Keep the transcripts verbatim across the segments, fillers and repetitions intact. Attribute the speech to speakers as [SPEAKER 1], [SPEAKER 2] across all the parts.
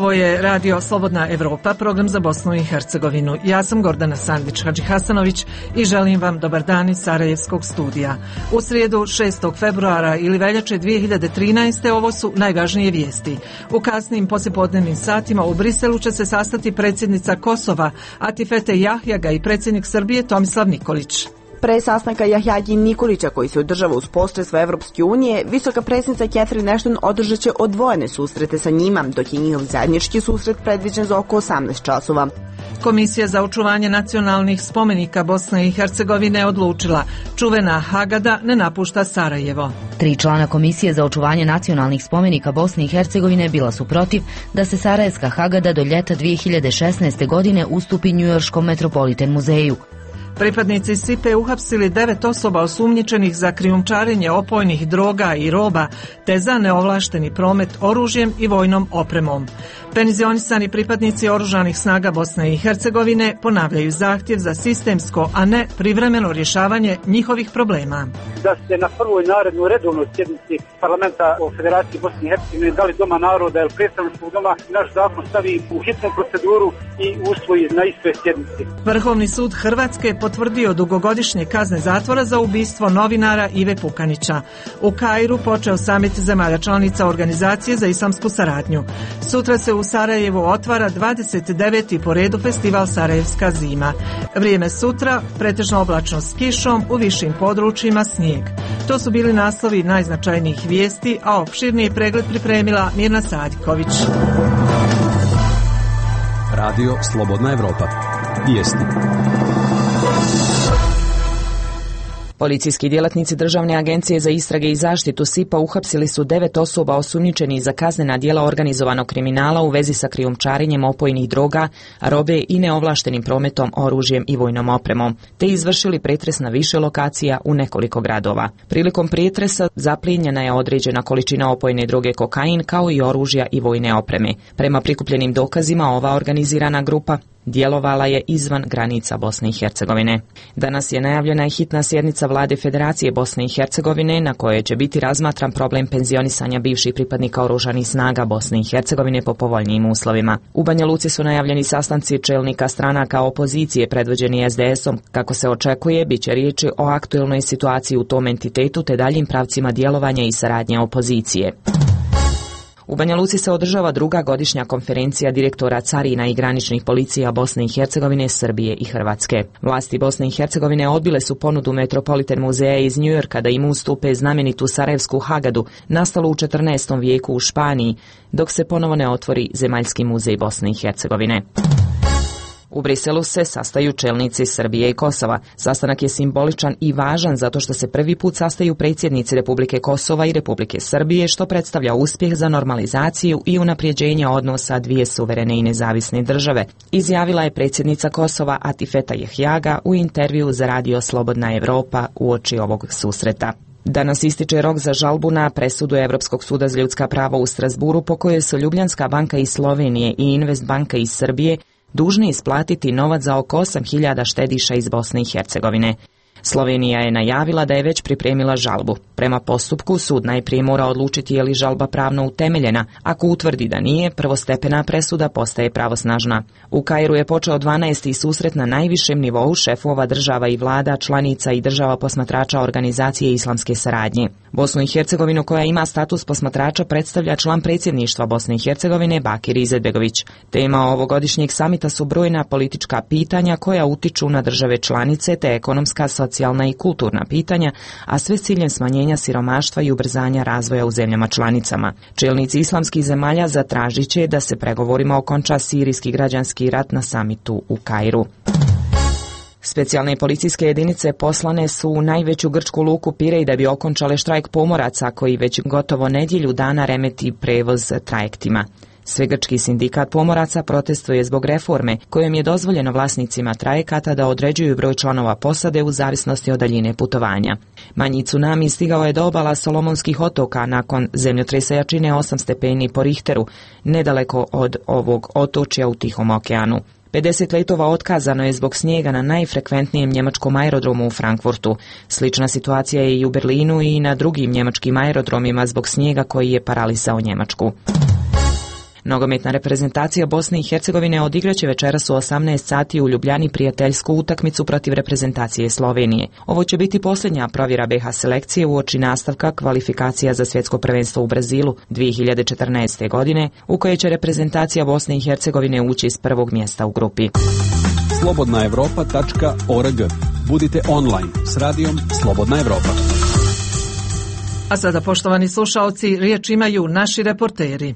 [SPEAKER 1] Ovo je Radio Slobodna Evropa, program za Bosnu i Hercegovinu. Ja sam Gordana Sandić-Hadžihasanović i želim vam dobar dan iz Sarajevskog studija. U srijedu šestog februara ili veljače dvije hiljade trinaeste. ovo su najvažnije vijesti. U kasnim poslijepodnevnim satima u Briselu će se sastati predsjednica Kosova Atifete Jahjaga i predsjednik Srbije Tomislav Nikolić.
[SPEAKER 2] Pre sastanka Jahjagi i Nikolića koji se održava uz posredstvo Evropske unije, visoka predsjednica Catherine Ashton održat će odvojene susrete sa njima, dok je njihov zajednički susret predviđen za oko osamnaest časova.
[SPEAKER 1] Komisija za očuvanje nacionalnih spomenika Bosne i Hercegovine odlučila, čuvena Hagada ne napušta Sarajevo.
[SPEAKER 3] Tri člana Komisije za očuvanje nacionalnih spomenika Bosne i Hercegovine bila su protiv da se Sarajevska Hagada do ljeta dvije hiljade šesnaeste. godine ustupi Njujorškom Metropolitan muzeju.
[SPEAKER 1] Pripadnici S I P E uhapsili devet osoba osumnjičenih za krijumčarenje opojnih droga i roba te za neovlašteni promet oružjem i vojnom opremom. Penzionisani pripadnici oružanih snaga Bosne i Hercegovine ponavljaju zahtjev za sistemsko, a ne privremeno rješavanje njihovih problema.
[SPEAKER 4] Da se na prvoj narednoj redovnoj sjednici parlamenta o Federaciji Bosne i Hercegovine, da li Doma naroda ili predstavničkog doma, naš zakon stavi u hitnu proceduru i usvoji na istoj sjednici.
[SPEAKER 1] Vrhovni sud Hrvatske potvrdio dugogodišnje kazne zatvora za ubistvo novinara Ive Pukanića. U Kairu počeo samit zemalja članica Organizacije za islamsku saradnju. Sutra se u Sarajevu otvara dvadeset deveti po redu festival Sarajevska zima. Vrijeme sutra, pretežno oblačno s kišom, u višim područjima snijeg. To su bili naslovi najznačajnijih vijesti, a opširniji pregled pripremila Mirna Sadiković.
[SPEAKER 5] Radio Slobodna Evropa. Vijesti.
[SPEAKER 6] Policijski djelatnici Državne agencije za istrage i zaštitu S I P A uhapsili su devet osoba osumnjičenih za kaznena djela organizovanog kriminala u vezi sa krijumčarenjem opojnih droga, robe i neovlaštenim prometom oružjem i vojnom opremom, te izvršili pretres na više lokacija u nekoliko gradova. Prilikom pretresa zaplijenjena je određena količina opojne droge kokain kao i oružja i vojne opreme. Prema prikupljenim dokazima ova organizirana grupa djelovala je izvan granica Bosne i Hercegovine. Danas je najavljena i hitna sjednica Vlade Federacije Bosne i Hercegovine na kojoj će biti razmatran problem penzionisanja bivših pripadnika oružanih snaga Bosne i Hercegovine po povoljnijim uslovima. U Banja Luci su najavljeni sastanci čelnika stranaka opozicije predvođeni S D S-om. Kako se očekuje, bit će riječi o aktualnoj situaciji u tom entitetu te daljim pravcima djelovanja i saradnje opozicije. U Banja Luci se održava druga godišnja konferencija direktora carina i graničnih policija Bosne i Hercegovine, Srbije i Hrvatske. Vlasti Bosne i Hercegovine odbile su ponudu Metropolitan muzeja iz Njujorka da im ustupe znamenitu Sarajevsku Hagadu, nastalu u četrnaestom vijeku u Španiji, dok se ponovo ne otvori Zemaljski muzej Bosne i Hercegovine. U Briselu se sastaju čelnici Srbije i Kosova. Sastanak je simboličan i važan zato što se prvi put sastaju predsjednici Republike Kosova i Republike Srbije, što predstavlja uspjeh za normalizaciju i unapređenje odnosa dvije suverene i nezavisne države, izjavila je predsjednica Kosova Atifeta Jahjaga u intervju za Radio Slobodna Evropa uoči ovog susreta. Danas ističe rok za žalbu na presudu Europskog suda za ljudska prava u Strasburu po kojoj su Ljubljanska banka iz Slovenije i Invest banka iz Srbije dužni isplatiti novac za oko osam hiljada štediša iz Bosne i Hercegovine. Slovenija je najavila da je već pripremila žalbu. Prema postupku sud najprije mora odlučiti je li žalba pravno utemeljena. Ako utvrdi da nije, prvostepena presuda postaje pravosnažna. U Kairu je počeo dvanaesti susret na najvišem nivou šefova država i vlada, članica i država posmatrača Organizacije islamske saradnje. Bosnu i Hercegovinu, koja ima status posmatrača, predstavlja član predsjedništva Bosne i Hercegovine Bakir Izetbegović. Tema ovogodišnjeg samita su brojna politička pitanja koja utiču na države članice te ekonomska, socijalna i kulturna pitanja, a sve s ciljem smanjenja siromaštva i ubrzanja razvoja u zemljama članicama. Čelnici islamskih zemalja zatražit će da se pregovorima okonča sirijski građanski rat na samitu u Kairu. Specijalne policijske jedinice poslane su u najveću grčku luku Pirej da bi okončale štrajk pomoraca koji već gotovo nedjelju dana remeti prevoz trajektima. Svegrčki sindikat pomoraca protestuje zbog reforme kojom je dozvoljeno vlasnicima trajekata da određuju broj članova posade u zavisnosti od daljine putovanja. Manji tsunami stigao je do obala Solomonskih otoka nakon zemljotresa jačine osam stepeni po Richteru, nedaleko od ovog otočja u Tihom okeanu. pedeset letova otkazano je zbog snijega na najfrekventnijem njemačkom aerodromu u Frankfurtu. Slična situacija je i u Berlinu i na drugim njemačkim aerodromima zbog snijega koji je paralisao Njemačku. Nogometna reprezentacija Bosne i Hercegovine odigraće večeras u osamnaest sati u Ljubljani prijateljsku utakmicu protiv reprezentacije Slovenije. Ovo će biti posljednja provjera B H selekcije uoči nastavka kvalifikacija za svjetsko prvenstvo u Brazilu dvije hiljade četrnaeste. godine, u koje će reprezentacija Bosne i Hercegovine ući iz prvog mjesta u grupi.
[SPEAKER 5] slobodna evropa tačka org. Budite online s radijom Slobodna Evropa.
[SPEAKER 1] A sada, poštovani slušaoci, riječ imaju naši reporteri.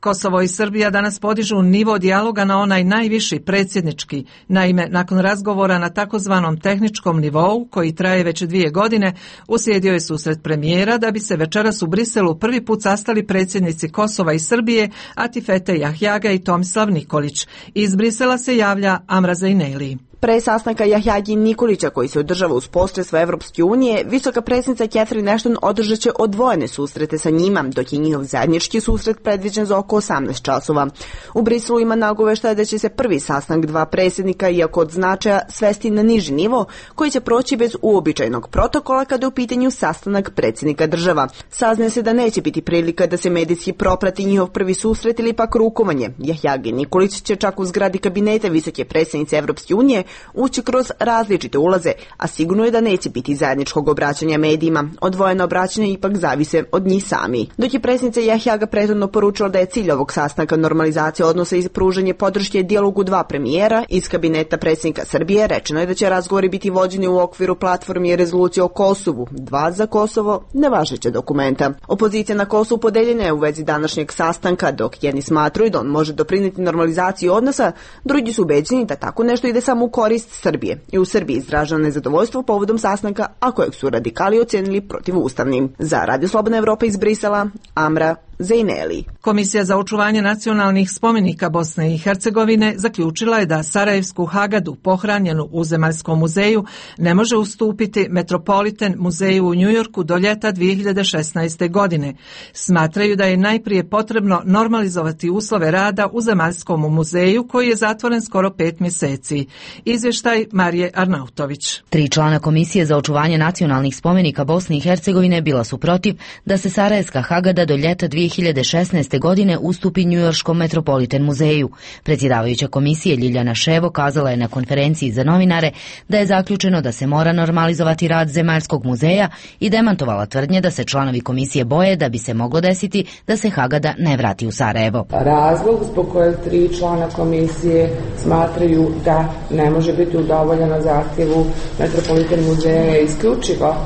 [SPEAKER 1] Kosovo i Srbija danas podižu nivo dijaloga na onaj najviši predsjednički. Naime, nakon razgovora na takozvanom tehničkom nivou, koji traje već dvije godine, uslijedio je susret premijera da bi se večeras u Briselu prvi put sastali predsjednici Kosova i Srbije, Atifete Jahjaga i Tomislav Nikolić. Iz Brisela se javlja Amra Zejneli.
[SPEAKER 2] Pre sastanka Jahjagi Nikolića koji se održava uz posredstvo Evropske unije, visoka predsjednica Catherine Ashton održat će odvojene susrete sa njima, dok je njihov zajednički susret predviđen za oko osamnaest časova. U Briselu ima nagoveštaja da će se prvi sastanak dva predsjednika, iako od značaja, svesti na niži nivo, koji će proći bez uobičajenog protokola kada je u pitanju sastanak predsjednika država. Saznaje se da neće biti prilika da se medijski proprati njihov prvi susret ili pak rukovanje. Jahjagi Nikolić će čak u zgradi kabineta visoke predsjednice Evropske unije ući kroz različite ulaze, a sigurno je da neće biti zajedničkog obraćanja medijima. Odvojeno obraćanje ipak zavise od njih sami. Dok je predsjednica Jahjaga prethodno poručila da je cilj ovog sastanka normalizacija odnosa i pružanje podrške dijalogu dva premijera, iz kabineta predsjednika Srbije rečeno je da će razgovori biti vođeni u okviru platformi i rezolucije o Kosovu, dva za Kosovo, nevažeća dokumenta. Opozicija na Kosovu podeljena je u vezi današnjeg sastanka, dok jedni smatruju da on može doprinijeti normalizaciji odnosa, drugi su ubeđeni da tako nešto ide samo u korist Srbije. I u Srbiji izraženo nezadovoljstvo povodom sastanka, a kojeg su radikali ocenili protivustavnim. Za Radio Slobodna Evropa iz Brisela, Amra Zejneli.
[SPEAKER 1] Komisija za očuvanje nacionalnih spomenika Bosne i Hercegovine zaključila je da Sarajevsku Hagadu, pohranjenu u Zemaljskom muzeju, ne može ustupiti Metropolitan muzeju u Njujorku do ljeta dvije hiljade šesnaeste. godine. Smatraju da je najprije potrebno normalizovati uslove rada u Zemaljskom muzeju, koji je zatvoren skoro pet mjeseci. Izvještaj Marije Arnautović.
[SPEAKER 3] Tri člana Komisije za očuvanje nacionalnih spomenika Bosne i Hercegovine bila su protiv da se Sarajevska Hagada do ljeta dvije hiljade šesnaeste. godine ustupi Njujorškom Metropolitan muzeju. Predsjedavajuća komisije Ljiljana Ševo kazala je na konferenciji za novinare da je zaključeno da se mora normalizovati rad Zemaljskog muzeja i demantovala tvrdnje da se članovi komisije boje da bi se moglo desiti da se Hagada ne vrati u Sarajevo.
[SPEAKER 7] Razlog zbog kojeg tri člana komisije smatraju da ne može biti udovoljeno zahtjevu Metropolitan muzeja je isključivo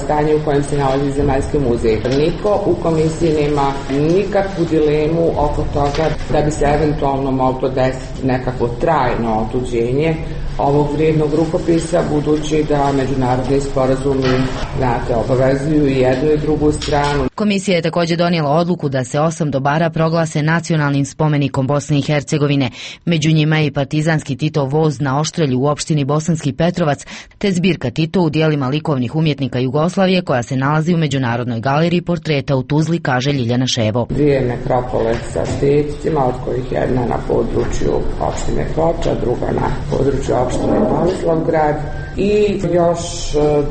[SPEAKER 7] stanje u kojem se nalazi Zemaljski muzej. Niko u komisiji nema nikakvu dilemu oko toga da bi se eventualno moglo desiti nekako trajno otuđenje ovog vrijednog rukopisa, budući da međunarodni sporazumi, znate, obavezuju i jednu i drugu stranu.
[SPEAKER 3] Komisija je također donijela odluku da se osam dobara proglase nacionalnim spomenikom Bosne i Hercegovine. Među njima je i partizanski Titov voz na Oštrelju u opštini Bosanski Petrovac, te zbirka Tito u dijelima likovnih umjetnika Jugoslavije, koja se nalazi u Međunarodnoj galeriji portreta u Tuzli, kaže Ljiljana Ševo.
[SPEAKER 7] Dvije nekropole sa steticima, od kojih jedna na području opštine Ploča, druga na području opštine Tomislavgrad, i još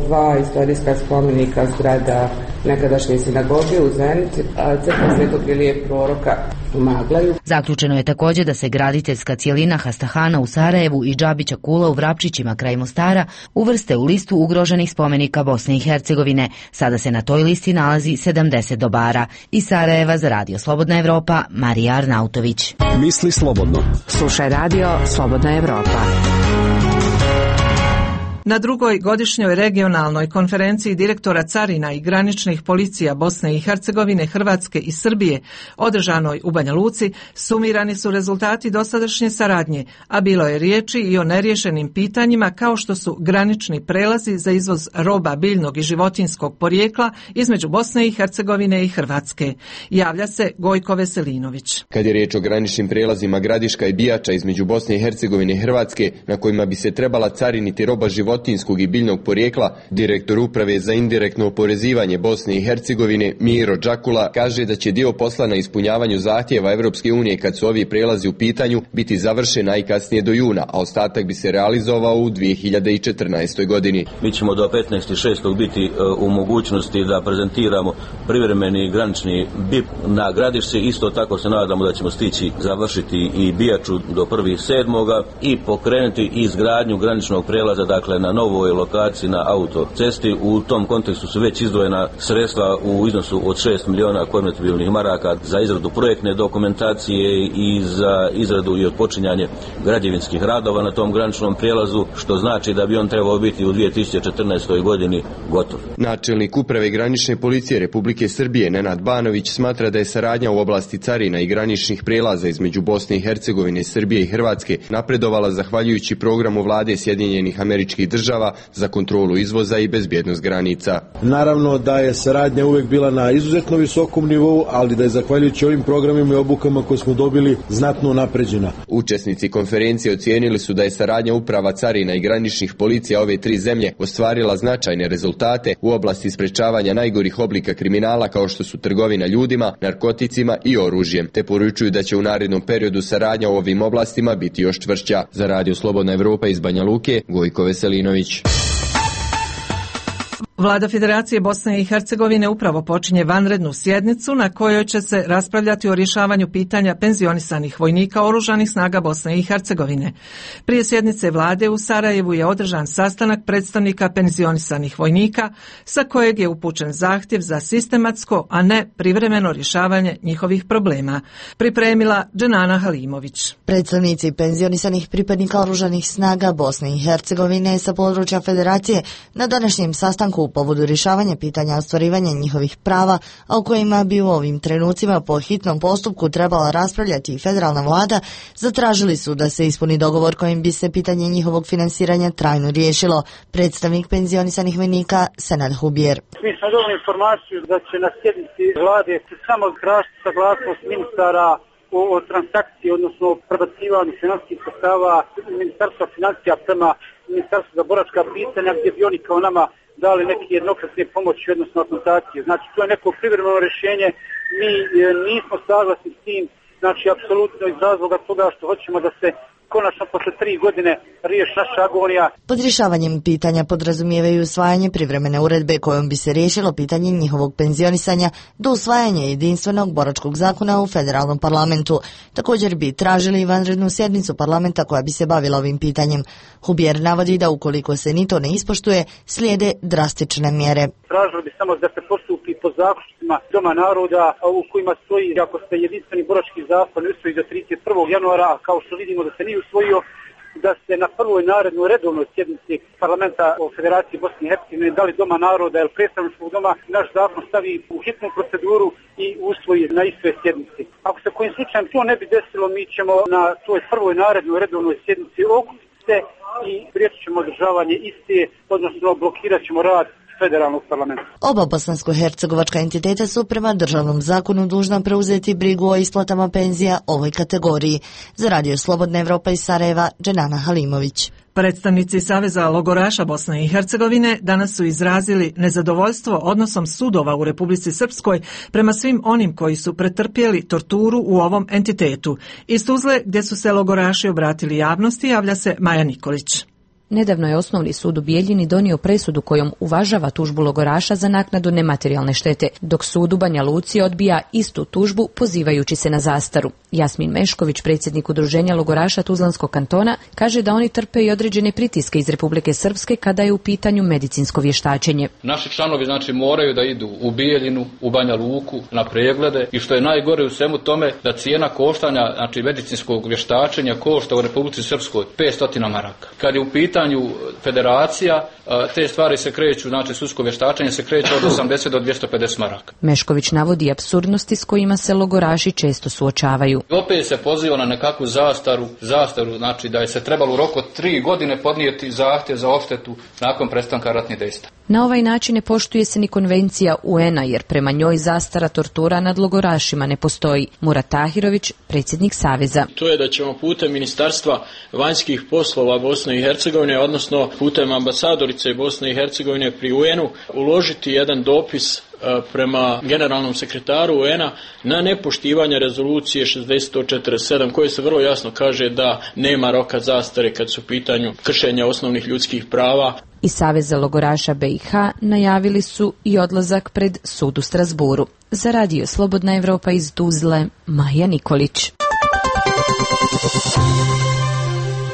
[SPEAKER 7] dva istorijska spomenika zgrada nekadašnje sinagoge u Zenici, crkva Svetog Ilije Proroka u Maglaju.
[SPEAKER 3] Zaključeno je također da se graditeljska cijelina Hastahana u Sarajevu i Džabića Kula u Vrapčićima kraj Mostara uvrste u listu ugroženih spomenika Bosne i Hercegovine. Sada se na toj listi nalazi sedamdeset dobara. Iz Sarajeva za Radio Slobodna Evropa, Marija Arnautović.
[SPEAKER 5] Misli slobodno.
[SPEAKER 8] Slušaj Radio Slobodna Evropa.
[SPEAKER 1] Na drugoj godišnjoj regionalnoj konferenciji direktora carina i graničnih policija Bosne i Hercegovine, Hrvatske i Srbije, održanoj u Banja Luci, sumirani su rezultati dosadašnje saradnje, a bilo je riječi i o neriješenim pitanjima kao što su granični prelazi za izvoz roba biljnog i životinjskog porijekla između Bosne i Hercegovine i Hrvatske. Javlja se Gojko Veselinović.
[SPEAKER 9] Kad je riječ o graničnim prelazima Gradiška i Bijača između Bosne i Hercegovine i Hrvatske, na kojima bi se trebala cariniti roba životinjskog životinjskog i biljnog porijekla, direktor Uprave za indirektno oporezivanje Bosne i Hercegovine Miro Đakula kaže da će dio posla na ispunjavanju zahtjeva Evropske unije kad su ovi prelazi u pitanju biti završen najkasnije do juna, a ostatak bi se realizovao u dvije hiljade četrnaestoj. godini.
[SPEAKER 10] Mi ćemo do petnaestog šestog biti u mogućnosti da prezentiramo privremeni granični B I P na Gradišci. Isto tako se nadamo da ćemo stići završiti i Bijaču do prvog sedmog i pokrenuti izgradnju graničnog prelaza, dakle na novoj lokaciji na autocesti. U tom kontekstu su već izdvojena sredstva u iznosu od šest miliona konvertibilnih maraka za izradu projektne dokumentacije i za izradu i otpočinjanje građevinskih radova na tom graničnom prijelazu, što znači da bi on trebao biti u dvije tisuće četrnaestoj. godini gotov.
[SPEAKER 9] Načelnik Uprave granične policije Republike Srbije Nenad Banović smatra da je saradnja u oblasti carina i graničnih prijelaza između Bosne i Hercegovine, Srbije i Hrvatske napredovala zahvaljujući programu vlade Sjedinjenih Američkih Država za kontrolu izvoza i bezbjednost granica.
[SPEAKER 11] Naravno da je saradnja uvek bila na izuzetno visokom nivou, ali da je zahvaljujući ovim programima i obukama koje smo dobili znatno napređena.
[SPEAKER 9] Učesnici konferencije ocijenili su da je saradnja uprava carina i graničnih policija ove tri zemlje ostvarila značajne rezultate u oblasti sprečavanja najgorih oblika kriminala kao što su trgovina ljudima, narkoticima i oružjem, te poručuju da će u narednom periodu saradnja u ovim oblastima biti još čvršća. Za Radio Slobodna Evropa iz Banja Luke, Gojko Veselinović.
[SPEAKER 1] Vlada Federacije Bosne i Hercegovine upravo počinje vanrednu sjednicu na kojoj će se raspravljati o rješavanju pitanja penzionisanih vojnika oružanih snaga Bosne i Hercegovine. Prije sjednice vlade u Sarajevu je održan sastanak predstavnika penzionisanih vojnika sa kojeg je upućen zahtjev za sistematsko, a ne privremeno rješavanje njihovih problema. Pripremila Dženana Halimović.
[SPEAKER 12] Predstavnici penzionisanih pripadnika oružanih snaga Bosne i Hercegovine sa područja Federacije na današnjem sastanku u povodu rješavanja pitanja ostvarivanja njihovih prava, a o kojima bi u ovim trenucima po hitnom postupku trebala raspravljati i federalna vlada, zatražili su da se ispuni dogovor kojim bi se pitanje njihovog finansiranja trajno riješilo. Predstavnik penzionisanih vojnika Senad Hubjer.
[SPEAKER 4] Mi smo dobili informaciju da će na sjednici vlade samo tražiti saglasnost ministara o, o transakciji, odnosno o prebacivanju financijskih sredstava Ministarstva financija prema Ministarstvu za boračka pitanja, gdje bi oni kao nama dali neke jednokratne pomoći, odnosno akontacije. Znači, to je neko privremeno rješenje. Mi e, nismo saglasni s tim, znači, apsolutno iz razloga toga što hoćemo da se konačno posle tri godine riješi naša agonija.
[SPEAKER 12] Pod rješavanjem pitanja podrazumijevaju usvajanje privremene uredbe kojom bi se riješilo pitanje njihovog penzionisanja do usvajanja jedinstvenog boračkog zakona u federalnom parlamentu. Također bi tražili vanrednu sjednicu parlamenta koja bi se bavila ovim pitanjem. Hubjer navodi da ukoliko se ni to ne ispoštuje, slijede drastične mjere.
[SPEAKER 4] Tražili bi samo da se postupi po zaključcima Doma naroda u kojima stoji ako se jedinstveni borački zakon usvoji do trideset prvog januara, kao što vidimo da se nije usvojio, da se na prvoj narednoj redovnoj sjednici parlamenta o Federaciji Bosne i Hercegovine, da li Doma naroda ili predstavničkog doma, naš zakon stavi u hitnu proceduru i usvoji na istoj sjednici. Ako se kojim slučajem to ne bi desilo, mi ćemo na toj prvoj narednoj redovnoj sjednici okupiti se i spriječit ćemo održavanje iste, odnosno blokirat ćemo rad federalnog parlamenta.
[SPEAKER 12] Oba bosansko-hercegovačka entiteta su prema državnom zakonu dužna preuzeti brigu o isplatama penzija ovoj kategoriji. Za Radio Slobodna Evropa iz Sarajeva, Dženana Halimović.
[SPEAKER 1] Predstavnici Saveza logoraša Bosne i Hercegovine danas su izrazili nezadovoljstvo odnosom sudova u Republici Srpskoj prema svim onim koji su pretrpjeli torturu u ovom entitetu. Iz Tuzle, gdje su se logoraši obratili javnosti, javlja se Maja Nikolić.
[SPEAKER 13] Nedavno je Osnovni sud u Bijeljini donio presudu kojom uvažava tužbu logoraša za naknadu nematerijalne štete, dok sud u Banja Luci odbija istu tužbu pozivajući se na zastaru. Jasmin Mešković, predsjednik udruženja logoraša Tuzlanskog kantona, kaže da oni trpe i određene pritiske iz Republike Srpske kada je u pitanju medicinsko vještačenje.
[SPEAKER 14] Naši članovi znači moraju da idu u Bijeljinu, u Banja Luku na preglede i što je najgore u svemu tome da cijena koštanja znači medicinskog vještačenja košta u Republici Srpskoj petsto maraka. Kad je u pitanju federacija, te stvari se kreću, znači sudsko vještačenje se kreće od osamdeset do dvjesto pedeset maraka.
[SPEAKER 13] Mešković navodi apsurdnosti s kojima se logoraši često suočavaju.
[SPEAKER 14] Opet se poziva na nekakvu zastaru, zastaru, znači da je se trebalo u roku od tri godine podnijeti zahtjev za odštetu nakon prestanka ratnih dejstva.
[SPEAKER 13] Na ovaj način ne poštuje se ni konvencija U N-a jer prema njoj zastara tortura nad logorašima ne postoji. Murat Tahirović, predsjednik Saveza.
[SPEAKER 15] To je da ćemo putem Ministarstva vanjskih poslova Bosne i Hercegovine, odnosno putem ambasadorice Bosne i Hercegovine pri U N-u, uložiti jedan dopis prema generalnom sekretaru U N-a na nepoštivanje rezolucije šezdeset četrdeset sedam koje se vrlo jasno kaže da nema roka zastare kad su u pitanju kršenja osnovnih ljudskih prava.
[SPEAKER 13] Iz Saveza logoraša B i H najavili su i odlazak pred sud u Strasburu. Za radio Slobodna Evropa iz Tuzle, Maja Nikolić.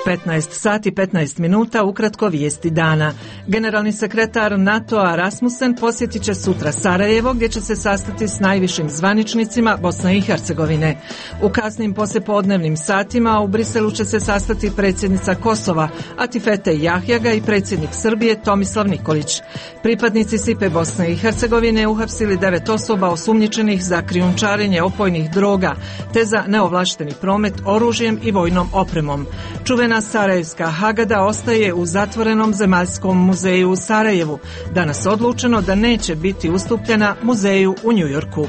[SPEAKER 1] petnaest sati petnaest minuta, ukratko vijesti dana. Generalni sekretar NATO-a Rasmussen posjetit će sutra Sarajevo gdje će se sastati s najvišim zvaničnicima Bosne i Hercegovine. U kasnim poslijepodnevnim satima u Briselu će se sastati predsjednica Kosova Atifete Jahjaga i predsjednik Srbije Tomislav Nikolić. Pripadnici S I P E Bosne i Hercegovine uhapsili devet osoba osumnjičenih za krijumčarenje opojnih droga te za neovlašteni promet oružjem i vojnom opremom. Čuvena Sarajevska Hagada ostaje u zatvorenom zemaljskom muzeju u Sarajevu. Danas odlučeno da neće biti ustupljena muzeju u Njujorku.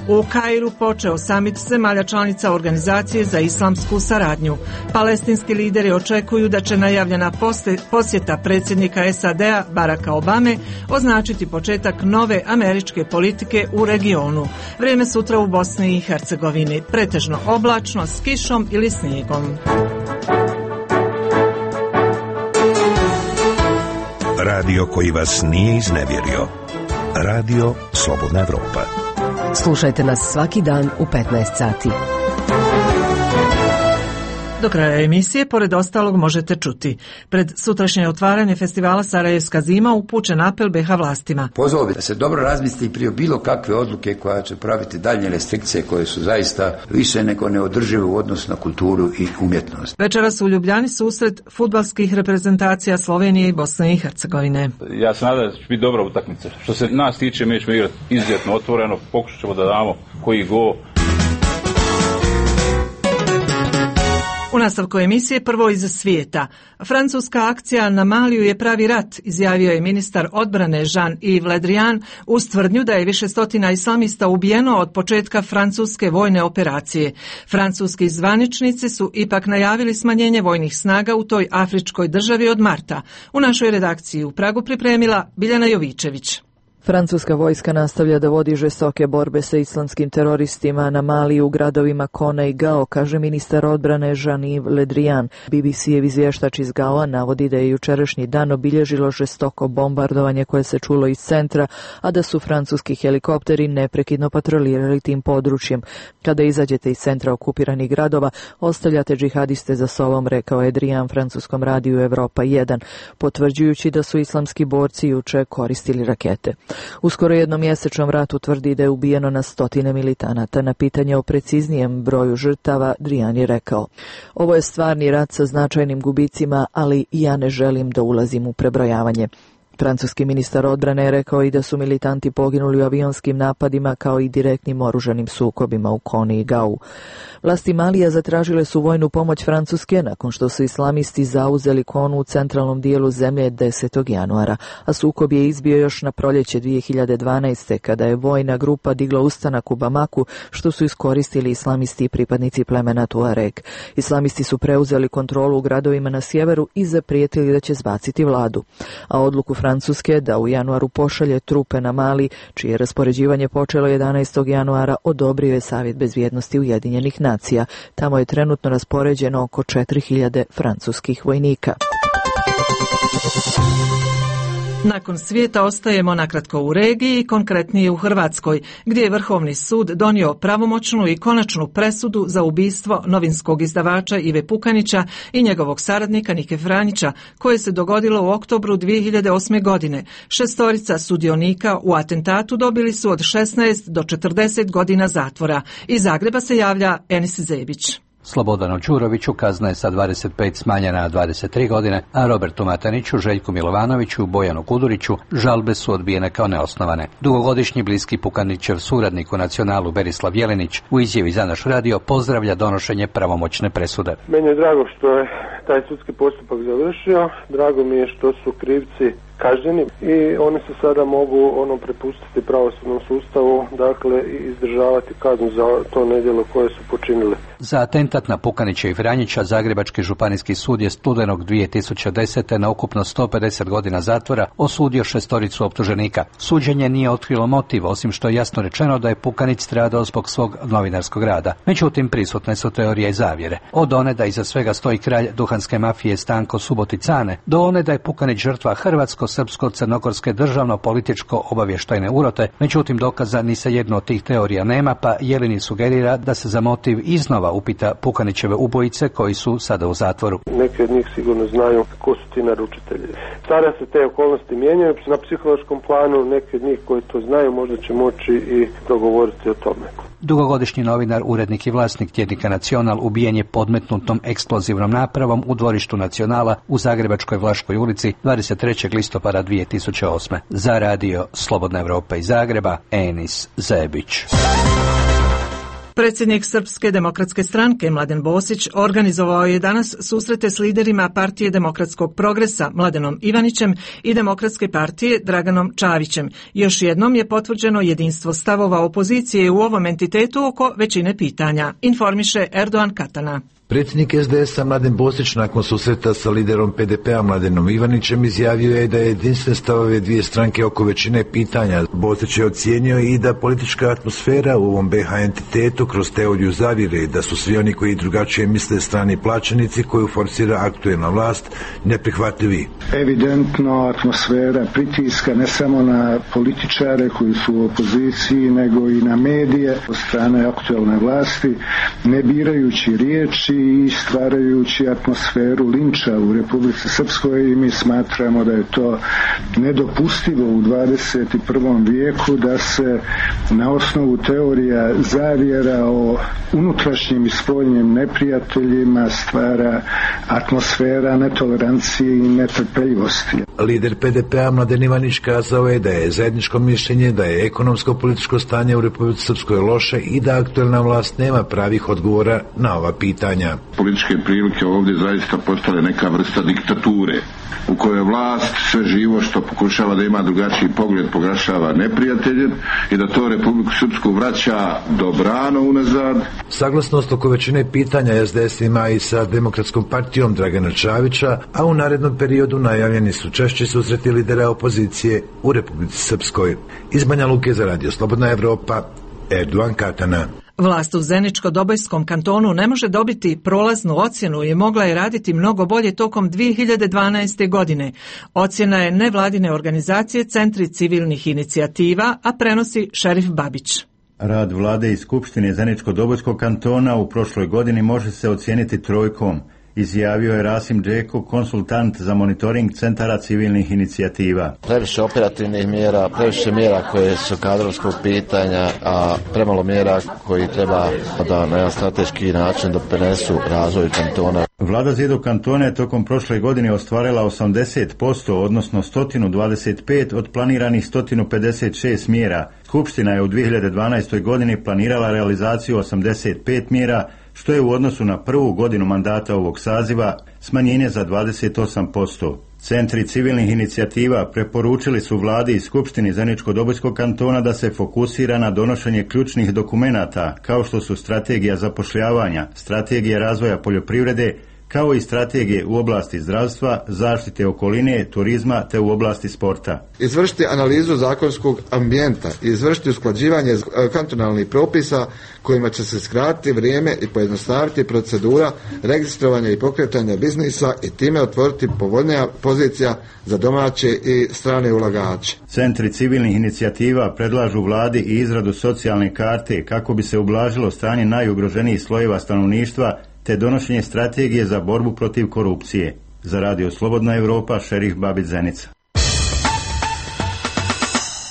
[SPEAKER 1] U Kairu počeo samit zemalja članica Organizacije za islamsku saradnju. Palestinski lideri očekuju da će najavljena posjeta predsjednika S A D-a Baracka Obame označiti početak nove američke politike u regionu. Vrijeme sutra u Bosni i Hercegovini. Pretežno oblačno s kišom ili snijegom.
[SPEAKER 16] Radio koji vas nije iznevjerio. Radio Slobodna Evropa.
[SPEAKER 8] Slušajte nas svaki dan u petnaest sati.
[SPEAKER 1] Do kraja emisije, pored ostalog, možete čuti. Pred sutrašnje otvaranje festivala Sarajevska zima upućen apel B iH vlastima.
[SPEAKER 17] Pozvao bi da se dobro razmisli prije bilo kakve odluke koja će praviti daljnje restrikcije koje su zaista više nego neodržive u odnosu na kulturu i umjetnost.
[SPEAKER 1] Večeras u Ljubljani susret fudbalskih reprezentacija Slovenije i Bosne i Hercegovine.
[SPEAKER 18] Ja se nadam da će biti dobra utakmica. Što se nas tiče, mi ćemo igrati izuzetno otvoreno, pokušat ćemo da damo koji go.
[SPEAKER 1] U nastavku emisije prvo iz svijeta. Francuska akcija na Maliju je pravi rat, izjavio je ministar odbrane Jean-Yves Le Drian uz tvrdnju da je više stotina islamista ubijeno od početka francuske vojne operacije. Francuski zvaničnici su ipak najavili smanjenje vojnih snaga u toj afričkoj državi od marta. U našoj redakciji u Pragu pripremila Biljana Jovičević.
[SPEAKER 19] Francuska vojska nastavlja da vodi žestoke borbe sa islamskim teroristima na Mali u gradovima Kona i Gao, kaže ministar odbrane Jean-Yves Le Drian. B B C-ev izvještač iz Gaoa navodi da je jučerašnji dan obilježilo žestoko bombardovanje koje se čulo iz centra, a da su francuski helikopteri neprekidno patrolirali tim područjem. Kada izađete iz centra okupiranih gradova, ostavljate džihadiste za sobom, rekao je Drian francuskom radiju Evropa jedan, potvrđujući da su islamski borci juče koristili rakete. U skoro jednomjesečnom ratu tvrdi da je ubijeno na stotine militanata. Na pitanje o preciznijem broju žrtava, Drian je rekao: ovo je stvarni rat sa značajnim gubicima, ali ja ne želim da ulazim u prebrojavanje. Francuski ministar odbrane je rekao i da su militanti poginuli u avionskim napadima kao i direktnim oružanim sukobima u Koni i Gau. Vlasti Malija zatražile su vojnu pomoć Francuske nakon što su islamisti zauzeli Konu u centralnom dijelu zemlje desetog januara, a sukob je izbio još na proljeće dvije hiljade dvanaeste. kada je vojna grupa digla ustanak u Bamaku, što su iskoristili islamisti i pripadnici plemena Tuareg. Islamisti su preuzeli kontrolu u gradovima na sjeveru i zaprijetili da će zbaciti vladu. A odluku Francuske da u januaru pošalje trupe na Mali, čije raspoređivanje počelo jedanaestog januara, odobrio je Savjet bezbjednosti Ujedinjenih nacija. Tamo je trenutno raspoređeno oko četiri hiljade francuskih vojnika.
[SPEAKER 1] Nakon svijeta ostajemo nakratko u regiji, konkretnije u Hrvatskoj, gdje je Vrhovni sud donio pravomoćnu i konačnu presudu za ubistvo novinskog izdavača Ive Pukanića i njegovog saradnika Nike Franjića, koje se dogodilo u oktobru dvije hiljade osme. godine. Šestorica sudionika u atentatu dobili su od šesnaest do četrdeset godina zatvora. Iz Zagreba se javlja Enis Zebić.
[SPEAKER 20] Slobodanu Ćuroviću kazna je sa dvadeset pet smanjena na dvadeset tri godine, a Robertu Mataniću, Željku Milovanoviću i Bojanu Kuduriću žalbe su odbijene kao neosnovane. Dugogodišnji bliski Pukanićev suradnik u Nacionalu Berislav Jelenić u izjavi za naš radio pozdravlja donošenje pravomoćne presude.
[SPEAKER 21] Meni je drago što je taj sudski postupak završio. Drago mi je što su krivci kažnjeni i oni se sada mogu ono prepustiti pravosudnom sustavu, dakle i izdržavati kaznu za to nedjelo koje su počinili.
[SPEAKER 20] Za atentat na Pukanića i Vranjića Zagrebački županijski sud je studenog dvije tisuće desete na ukupno sto pedeset godina zatvora osudio šestoricu optuženika. Suđenje nije otkrilo motiv, osim što je jasno rečeno da je Pukanić stradao zbog svog novinarskog rada. Međutim, prisutne su teorije i zavjere. Od one da iza svega stoji kralj duhanske mafije Stanko Suboticane, do one da je Pukanić žrtva hrvatsko-srpsko-crnogorske državno-političko obavještajne urote. Međutim, dokaza ni sa jednu od tih teorija nema, pa Jelini sugerira da se za motiv iznova upita Pukanićeve ubojice koji su sada u zatvoru.
[SPEAKER 21] Neki od njih sigurno znaju ko su ti naručitelji. Sada se te okolnosti mijenjaju na psihološkom planu, neki od njih koji to znaju možda će moći i dogovoriti o tome.
[SPEAKER 20] Dugogodišnji novinar, urednik i vlasnik tjednika Nacional ubijen je podmetnutom eksplozivnom napravom u dvorištu Nacionala u Zagrebačkoj Vlaškoj ulici dvadeset trećeg listopada dvije tisuće osme. Za radio Slobodna Evropa iz Zagreba, Enis Zebić.
[SPEAKER 1] Predsjednik Srpske demokratske stranke Mladen Bosić organizovao je danas susrete s liderima Partije demokratskog progresa Mladenom Ivanićem i Demokratske partije Draganom Čavićem. Još jednom je potvrđeno jedinstvo stavova opozicije u ovom entitetu oko većine pitanja, informiše Erdogan Katana.
[SPEAKER 22] Predsjednik es de es a Mladen Bosić nakon susreta sa liderom pe de pea Mladenom Ivanićem izjavio je da je jedinstven stavove dvije stranke oko većine pitanja. Bosić je ocijenio i da politička atmosfera u ovom be ha entitetu kroz teoriju zavjere, da su svi oni koji drugačije misle strani plaćenici koju forsira aktuelna vlast neprihvatljivi.
[SPEAKER 23] Evidentno atmosfera pritiska ne samo na političare koji su u opoziciji, nego i na medije od strane aktuelne vlasti, ne birajući riječi i stvarajući atmosferu linča u Republici Srpskoj, i mi smatramo da je to nedopustivo u dvadeset prvom vijeku da se na osnovu teorija zavjera o unutrašnjim i spoljnim neprijateljima stvara atmosfera netolerancije i netrpeljivosti.
[SPEAKER 22] Lider pe de pea Mladen Ivanić kazao je da je zajedničko mišljenje da je ekonomsko-političko stanje u Republici Srpskoj loše i da aktuelna vlast nema pravih odgovora na ova pitanja.
[SPEAKER 24] Političke prilike ovdje zaista postale neka vrsta diktature u kojoj vlast sve živo što pokušava da ima drugačiji pogled proglašava neprijateljem i da to Republiku Srpsku vraća dobrano unazad.
[SPEAKER 22] Saglasnost oko većine pitanja es de es ima i sa Demokratskom partijom Dragana Čavića, a u narednom periodu najavljeni su češći susreti lidera opozicije u Republici Srpskoj. Iz Banja Luke za radio Slobodna Evropa, Erdogan Katana.
[SPEAKER 1] Vlast u Zeničko-Dobojskom kantonu ne može dobiti prolaznu ocjenu i mogla je raditi mnogo bolje tokom dvije hiljade dvanaeste. godine. Ocjena je nevladine organizacije Centri civilnih inicijativa, a prenosi Šerif Babić.
[SPEAKER 25] Rad vlade i Skupštine Zeničko-Dobojskog kantona u prošloj godini može se ocijeniti trojkom, izjavio je Rasim Džeko, konsultant za monitoring centara civilnih inicijativa.
[SPEAKER 26] Previše operativnih mjera, previše mjera koje su kadrovskog pitanja, a premalo mjera koji treba da na jedan strateški način doprinesu razvoju kantona.
[SPEAKER 25] Vlada Zidog kantona je tokom prošle godine ostvarila osamdeset posto, odnosno sto dvadeset pet od planiranih sto pedeset šest mjera. Skupština je u dvije hiljade dvanaestoj. godini planirala realizaciju osamdeset pet mjera, što je u odnosu na prvu godinu mandata ovog saziva smanjenje za dvadeset osam posto. Centri civilnih inicijativa preporučili su vladi i Skupštini Zeničko-Dobojskog kantona da se fokusira na donošenje ključnih dokumenata, kao što su strategija zapošljavanja, strategija razvoja poljoprivrede, kao i strategije u oblasti zdravstva, zaštite okoline, turizma te u oblasti sporta.
[SPEAKER 27] Izvršiti analizu zakonskog ambijenta i izvršiti usklađivanje kantonalnih propisa kojima će se skratiti vrijeme i pojednostaviti procedura registrovanja i pokretanja biznisa i time otvoriti povoljnija pozicija za domaće i strane ulagače.
[SPEAKER 25] Centri civilnih inicijativa predlažu vladi i izradu socijalne karte kako bi se ublažilo stanje najugroženijih slojeva stanovništva te donošenje strategije za borbu protiv korupcije. Za radio Slobodna Evropa, Šerif Babić, Zenica.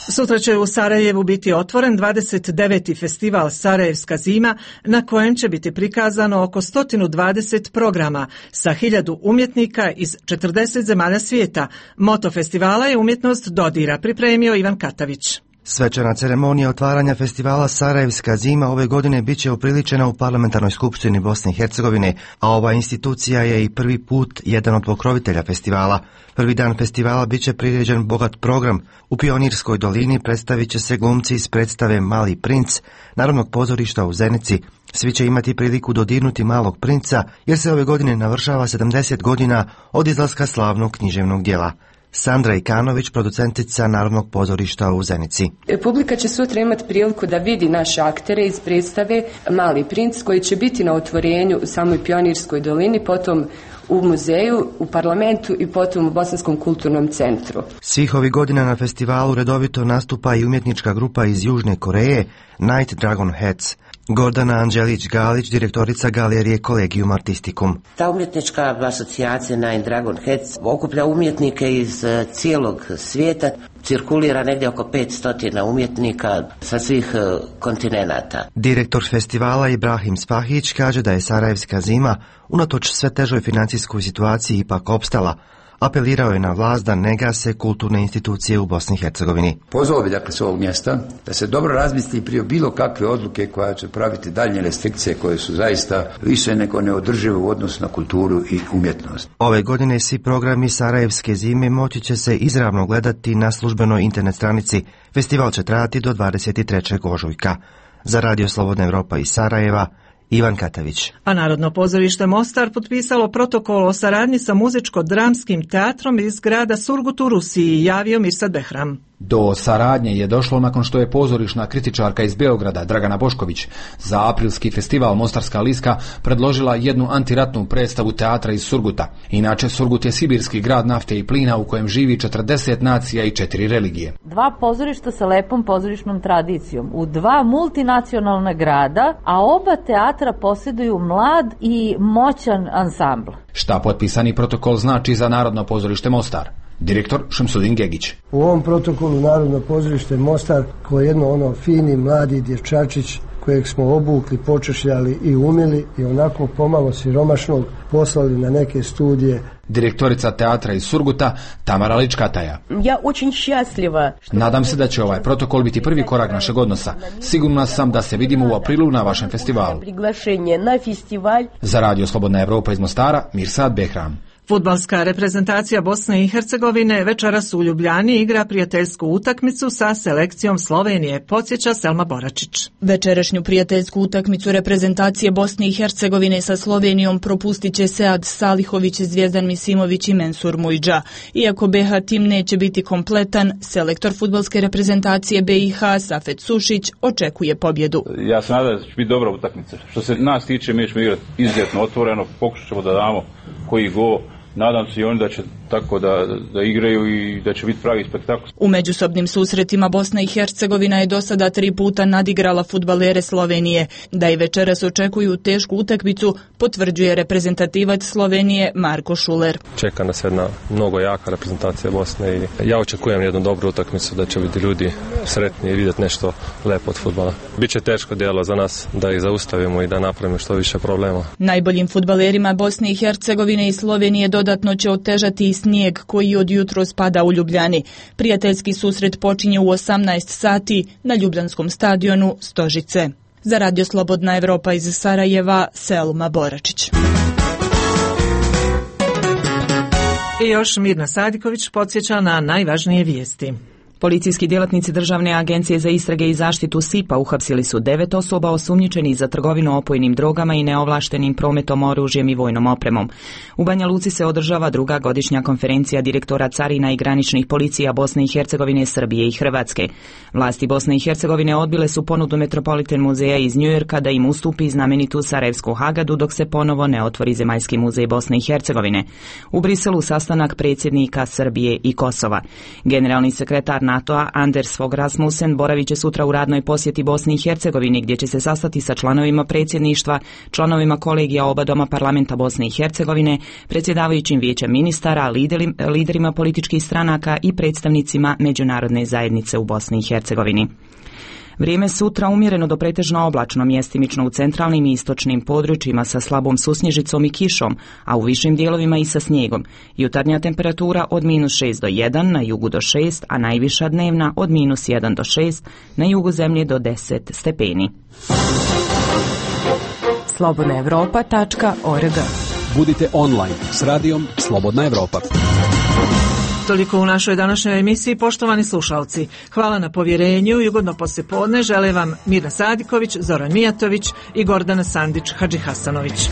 [SPEAKER 1] Sutra će u Sarajevu biti otvoren dvadeset deveti festival Sarajevska zima, na kojem će biti prikazano oko sto dvadeset programa sa hiljadu umjetnika iz četrdeset zemalja svijeta. Moto festivala je umjetnost dodira, pripremio Ivan Katavić.
[SPEAKER 2] Svečana ceremonija otvaranja festivala Sarajevska zima ove godine biće upriličena u Parlamentarnoj skupštini Bosne i Hercegovine, a ova institucija je i prvi put jedan od pokrovitelja festivala. Prvi dan festivala biće priređen bogat program. U Pionirskoj dolini predstavit će se glumci iz predstave Mali princ Narodnog pozorišta u Zenici. Svi će imati priliku dodirnuti Malog princa, jer se ove godine navršava sedamdeset godina od izlaska slavnog književnog djela. Sandra Ikanović, producentica Narodnog pozorišta u Zenici.
[SPEAKER 3] Publika će sutra imati priliku da vidi naše aktere iz predstave Mali princ, koji će biti na otvorenju u samoj Pionirskoj dolini, potom u muzeju, u parlamentu i potom u Bosanskom kulturnom centru.
[SPEAKER 2] Svih ovih godina na festivalu redovito nastupa i umjetnička grupa iz Južne Koreje Night Dragon Heads. Gordana Anđelić-Galić, direktorica galerije Collegium Artisticum.
[SPEAKER 5] Ta umjetnička asocijacija Night Dragon Heads okuplja umjetnike iz cijelog svijeta, cirkulira negdje oko petsto umjetnika sa svih kontinenata.
[SPEAKER 2] Direktor festivala Ibrahim Spahić kaže da je Sarajevska zima unatoč sve težoj financijskoj situaciji ipak opstala. Apelirao je na vlast da ne gase kulturne institucije u Bosni i Hercegovini.
[SPEAKER 17] Pozvao bi dakle s ovog mjesta da se dobro razmisli prije bilo kakve odluke koja će praviti daljnje restrikcije koje su zaista više nego neodržive u odnosu na kulturu i umjetnost.
[SPEAKER 2] Ove godine svi programi Sarajevske zime moći će se izravno gledati na službenoj internet stranici. Festival će trajati do dvadeset trećeg ožujka. Za Radio Slobodna Evropa iz Sarajeva, Ivan Katavić.
[SPEAKER 1] A Narodno pozorište Mostar potpisalo protokol o saradnji sa muzičko-dramskim teatrom iz grada Surgut u Rusiji, javio Mirsad Behram.
[SPEAKER 6] Do saradnje je došlo nakon što je pozorišna kritičarka iz Beograda Dragana Bošković za aprilski festival Mostarska liska predložila jednu antiratnu predstavu teatra iz Surguta. Inače, Surgut je sibirski grad nafte i plina u kojem živi četrdeset nacija i četiri religije.
[SPEAKER 7] Dva pozorišta sa lepom pozorišnom tradicijom u dva multinacionalna grada, a oba teatra posjeduju mlad i moćan ansambl.
[SPEAKER 6] Šta potpisani protokol znači za Narodno pozorište Mostar? Direktor Šemsudin Gegić.
[SPEAKER 10] U ovom protokolu Narodno pozorište Mostar, koje je jedno ono fini mladi dječačić kojeg smo obukli, počešljali i umili i onako pomalo siromašnog poslali na neke studije.
[SPEAKER 6] Direktorica teatra iz Surguta Tamara Ličkataja.
[SPEAKER 7] Ja очень счастлива.
[SPEAKER 6] Nadam se da će ovaj protokol biti prvi korak našeg odnosa. Sigurna sam da se vidimo u aprilu na vašem festivalu.
[SPEAKER 7] Na festival.
[SPEAKER 6] Za Radio Slobodna Evropa iz Mostara, Mirsad Behram.
[SPEAKER 1] Fudbalska reprezentacija Bosne i Hercegovine večeras u Ljubljani igra prijateljsku utakmicu sa selekcijom Slovenije, podsjeća Selma Boračić.
[SPEAKER 11] Večerašnju prijateljsku utakmicu reprezentacije Bosne i Hercegovine sa Slovenijom propustit će Sead Salihović, Zvijezdan Misimović i Mensur Mujdža. Iako B H tim neće biti kompletan, selektor fudbalske reprezentacije B i H Safet Sušić očekuje pobjedu.
[SPEAKER 18] Ja se nadam da će biti dobra utakmica. Što se nas tiče, mi ćemo igrati izuzetno otvoreno, pokušat ćemo da damo koji go. Nadam se i oni da će tako da, da igraju i da će biti pravi spektakl.
[SPEAKER 11] U međusobnim susretima Bosna i Hercegovina je do sada tri puta nadigrala fudbalere Slovenije. Da i večeras očekuju tešku utakmicu, potvrđuje reprezentativac Slovenije Marko Šuler.
[SPEAKER 28] Čeka nas jedna mnogo jaka reprezentacija Bosne i ja očekujem jednu dobru utakmicu, da će biti ljudi sretni i vidjeti nešto lepo od fudbala. Biće teško djelo za nas da ih zaustavimo i da napravimo što više problema.
[SPEAKER 11] Najboljim fudbalerima Bosne i Hercegovine i Slovenije dodatno će otežati i snijeg koji od jutros pada u Ljubljani. Prijateljski susret počinje u osamnaest sati na ljubljanskom stadionu Stožice. Za Radio Slobodna Evropa iz Sarajeva, Selma Boračić.
[SPEAKER 1] I još Mirna Sadiković podsjeća na najvažnije vijesti.
[SPEAKER 29] Policijski djelatnici Državne agencije za istrage i zaštitu S I P-a uhapsili su devet osoba osumnjičenih za trgovinu opojnim drogama i neovlaštenim prometom oružjem i vojnom opremom. U Banja Luci se održava druga godišnja konferencija direktora carina i graničnih policija Bosne i Hercegovine, Srbije i Hrvatske. Vlasti Bosne i Hercegovine odbile su ponudu Metropolitan muzeja iz Njujorka da im ustupi znamenitu Sarajevsku Hagadu dok se ponovo ne otvori Zemaljski muzej Bosne i Hercegovine. U Briselu sastanak predsjednika Srbije i Kosova. Generalni sekretar NATO-a Anders Fogh Rasmussen boravit će sutra u radnoj posjeti Bosni i Hercegovini, gdje će se sastati sa članovima predsjedništva, članovima kolegija oba doma parlamenta Bosne i Hercegovine, predsjedavajućim vijećem ministara, liderima političkih stranaka i predstavnicima međunarodne zajednice u Bosni i Hercegovini. Vrijeme sutra umjereno do pretežno oblačno, mjestimično u centralnim i istočnim područjima sa slabom susnježicom i kišom, a u višim dijelovima i sa snijegom. Jutarnja temperatura od minus šest do jedan, na jugu do šest, a najviša dnevna od minus jedan do šest, na jugu zemlje do deset stepeni.
[SPEAKER 4] slobodna europa tačka org.
[SPEAKER 8] Budite online s radijom Slobodna Evropa.
[SPEAKER 1] Toliko u našoj današnjoj emisiji, poštovani slušalci. Hvala na povjerenju i ugodno poslijepodne žele vam Mirna Sadiković, Zoran Mijatović i Gordana Sandić Hadžihasanović.